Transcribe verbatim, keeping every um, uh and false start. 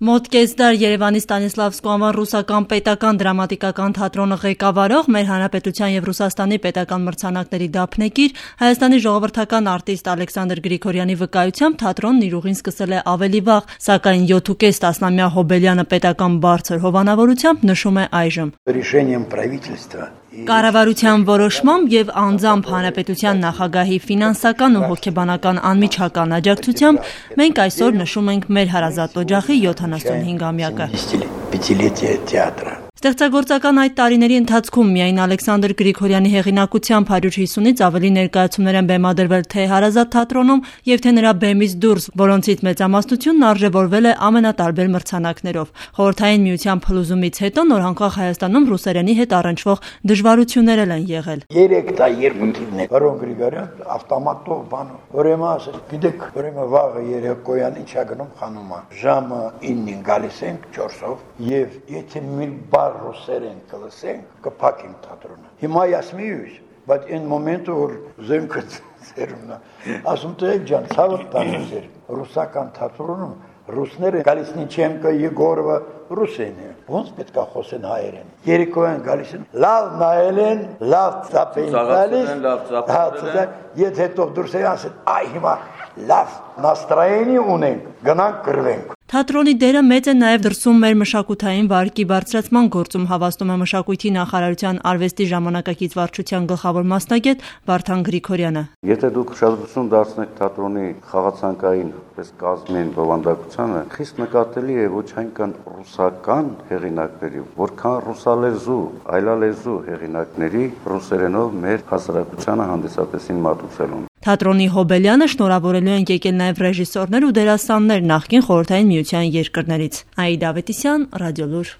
Մոտ կես դար Երևանի Ստանիսլավսկու անվան ռուսական պետական դրամատիկական թատրոնը ղեկավարող մեր Հանրապետության եւ Ռուսաստանի պետական մրցանակների դափնեկիր Հայաստանի ժողովրդական արտիստ Ալեքսանդր Գրիգորյանի վկայությամբ թատրոնն իր ուղին սկսել է ավելի վաղ, սակայն յոթ տասնամյա Հոբելյանը պետական բարձր հովանավորությամբ նշում է այժմ. Կառավարության որոշմամբ եւ անձամբ Հանրապետության նախագահի ֆինանսական ու հոգեբանական անմիջական աջակցությամբ մենք այսօր նշում ենք մեր հարազատ օջախի յոթանասունհինգամյակը։ Ստեղծագործական այդ տարիների ընթացքում միայն Ալեքսանդր Գրիգորյանի հեղինակությամբ հարյուր հիսունից ավելի ներկայացումներ են բեմադրվել թե հարազատ թատրոնում եւ թե նրա բեմից դուրս, որոնցից մեծամասնությունն արժեվորվել է ամենատարբեր մրցանակներով։ Խորհրդային միության փլուզումից հետո նորանկախ Հայաստանում ռուսերենի հետ առնչվող դժվարություններ են եղել։ Երեք տա երկու թիվն է, Պարոն Գրիգորյան, ավտոմատով բանով, ուրեմն ասել, գիտեք, ուրեմն վաղը երեկոյան ինչա գնում խանումա, ժամը իննին գալիս ենք չորսով եւ եթե մի բար ռուսերեն կլսենք, կփակենք թատրոնը։ Հիմա ասում եմ, բայց այն մոմենտը որ զենքը ծերունա, ասում տեք ջան, ցավը տանցեր, ռուսական թատրոնում ռուսները գալիս Նիչենկո, Եգորովը ռուսեն է, ոնց պետք է խոսեն հայերեն։ Երեկոյան գալիս են, լավ նայել են, լավ ծապեն գալիս, եթե հետո դուրս են ասեն, այ հիմա լավ նաստրայենի ունենք, գնանք կրվենք։ Թատրոնի դերը մեծ է նաև դրսում մեր մշակութային վարկի բարձրացման գործում, հավաստում է Մշակույթի նախարարության արվեստի ժամանակակից վարչության գլխավոր մասնագետ Վարդան Գրիգորյանը։ Եթե դուք ուշադրություն դարձնեք թատրոնի խաղացանկային պես կազմին բովանդակությանը, խիստ նկատելի է ոչ այնքան ռուսական հեղինակների, որքան ռուսալեզու, այլալեզու հեղինակների ռուսերենով մեր հասարակությանը հանդիսատեսին մատուցելուն։ Թատրոնի Հոբելյանը շնորհավորելու են եկել նաև ռեժիսորներ ու դերասաններ նախկին Խորհրդային Միության երկրներից։ Աիդա Ավետիսյան, Ռադիոլուր։